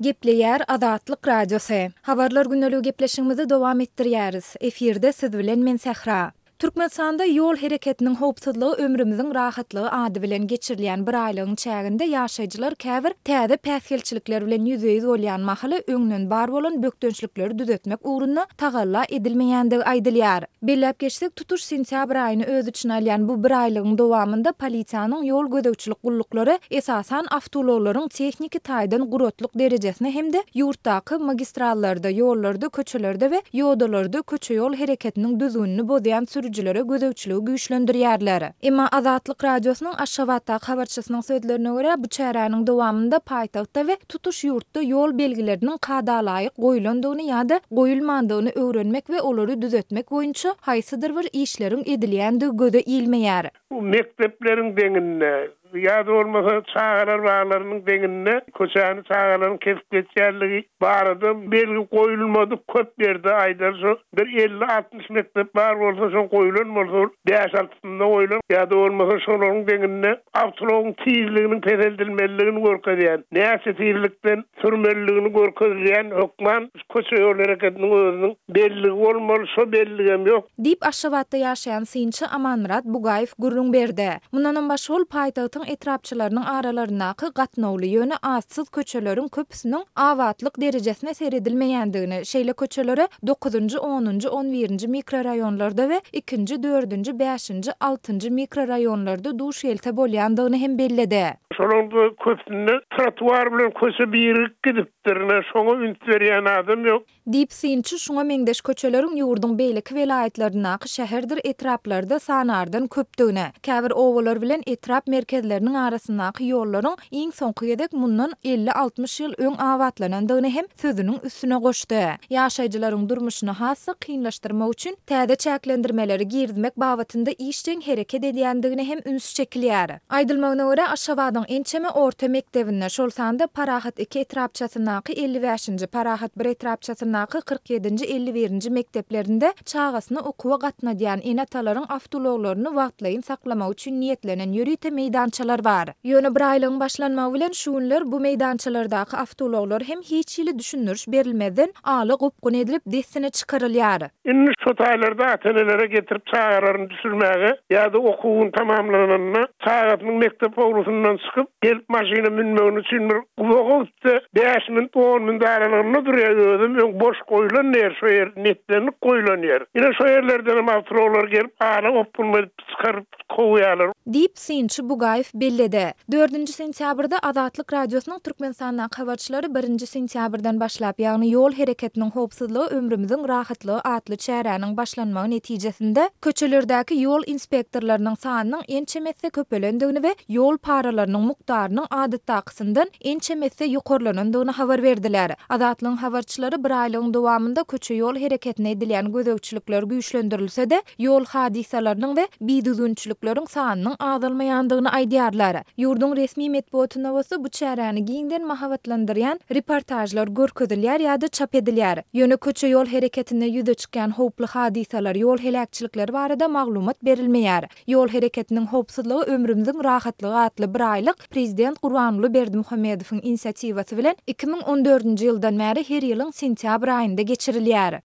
Gepleýär Azatlyk Radiosy. Habarlar gündeligi gepleşigimizi dowam etdirýäris. Efirde siz bilen men Sähra. Türkmenistanda Ýol hereketiniň howpsuzlygy ömrümiziň rahatlygy ady bilen geçirilýän biraýlygyň çäginde ýaşaýjylar käbir täze päsgelçilikler bilen ýüzbe-ýüz bolýan mahaly öňden bar bolan bökdençlikleri düzetmek ugrunda tagalla edilmeýändigi aýdylýar. Belläp geçsek, tutuş sentýabr aýyny öz içine alýan bu biraýlygyň dowamynda polisiýanyň ýol gözegçilik gulluklary esasan awtoulaglaryň tehniki taýdan guratlyk derejesine hem-de ýurtdaky magistrallarda, ýollarda, köçelerde we ýodalarda köçe-ýol hereketiniň düzgünini bozýan sürüjilere gözegçiligi güýçlendirýärler. Emma Azatlyk Radiosynyň Aşgabatdaky habarçysynyň sözlerine görä, bu çäräniň dowamynda paýtagtda we tutuş ýurtda ýol belgileriniň kadalaýyk goýlandygyny ýa-da goýulmandygyny öwrenmek we olary düzetmek boýunça haýsydyr bir işleriň edilýändigi göze ilmeýär. Bu mekdepleriň deňinde ýa-da bolmasa çagalar baglarynyň deňinde köçäni çagalaryň kesip geçýänligi barada belgi goýulmadyk köp ýerde aýdaly şo bir 50-60 mekdep bar bolsa şoň goýulan bolsa bäş-altysynda goýulan ýa-da bolmasa şolaryň deňinde awtoulagyň tizliginiň peseldilmelidigini görkezýän, näçe tizlikden sürmelidigini görkezilýän hökman köçe-ýol hereketiniň özüniň belligi bolmaly, şo belligem ýok. Diýip, Aşgabatda ýaşaýan synçy Amanmyrat Bugaýew gürrüň berdi. Mundanam başga ol paýtagtyň etrapçalarynyň aralaryndaky gatnawly, ýöne atsyz köçeleriň köpüsiniň abatlyk derejesine seredilmeýändigini, şeýle köçelere dokuzynjy, onunjy, on birinji mikroraýonlarda we ikinji, dördünji, bäşinji, altynjy mikroraýonlarda duş gelse bolýandygyny hem belledi. Şolaryň köpüsinde trotuar bilen köçe birigip gidipdir, ine, şoňa üns berýän adam ýok. Diýip, synçy şuňa meňzeş köçeleriň ýurduň beýleki welaýatlaryndaky şäherdir etraplarda sanardan köpdügini, käbir obalar bilen etrap merkezleriniň arasyndaky ýollaryň iň soňky gezek mundan 50-60 ýyl öň abatlanandygyny hem sözüniň üstüne goşdy. Ýaşaýjylaryň durmuşyny has-da kynlaşdyrmak üçin täze çäklendirmeleri girizmek babatynda işjeň hereket edýändigine hem üns çekilýär. Aýdylmagyna görä, Aşgabadyň ençeme orta mekdebinde, şol sanda Parahat iki etrapçasyndaky 55-nji, Parahat bir etrapçasyndaky 47-nji, 51-nji mekdeplerinde çagasyny okuwa gatnadýan ene-atalaryň awtoulaglaryny wagtlaýyn saklamak üçin niýetlenen ýörite meýdançalar bar. Ýöne bir aýlygyň başlanmagy bilen şu günler bu meýdançalardaky awtoulaglar hem hiç hili düşündiriş berilmezden ala gopgun edilip dessine çykarylýar. Indi şo taýlarda ata-enelere getirip çagalaryny düşürmäge ýa-da okuwyny tamamlananda çagasynyň mekdep howlusyndan çykyp gelip maşyna münmegini üçin bir uzaga gitse bäş minut, on minut aralygynda durýar özem öň boş goýlan ýer şo ýer netlenip goýlan ýer. Ine şo ýerlerdenem awtoulaglar gelip ala gopgun edip çykaryp kowýarlar. Diýip, synçy Bugaýew belledi. Dördünji sentýabrda Azatlyk Radiosynyň Türkmenistandaky habarçylary birinji sentýabrdan başlap, ýagny Ýol hereketiniň howpsuzlygy ömrümiziň rahatlygy atly çäräniň başlanmagy netijesinde, köçelerdäki ýol inspektorlarynyň sanynyň ençeme esse köpelendigini we ýol paralarynyň mukdarynyň adatdakysyndan ençeme esse ýokarlanandygyny habar berdiler. Azatlygyň habarçylary bir aýlygyň dowamynda köçe-ýol hereketine edilýän gözegçilikler güýçlendirilse-de, ýol hadysalarynyň we bidüzgünçilikleriň sanynyň azalmaýandygyny aýdýarlar. Ýurduň resmi metbugatynda bolsa bu çäräni giňden mahabatlandyrýan reportažlar görkezilýär ýa-da çap edilýär. Ýöne köçe-ýol hereketinde ýüze çykýan howply hadysalar, ýol heläkçilikleri barada maglumat berilmeýär. Ýol hereketiniň howpsuzlygy ömrümiziň rahatlygy atly biraýlyk prezident Gurbanguly Berdimuhamedowyň inisiatiwasy bilen 2014-nji ýyldan bäri her ýylyň sentýabr aýynda geçirilýär.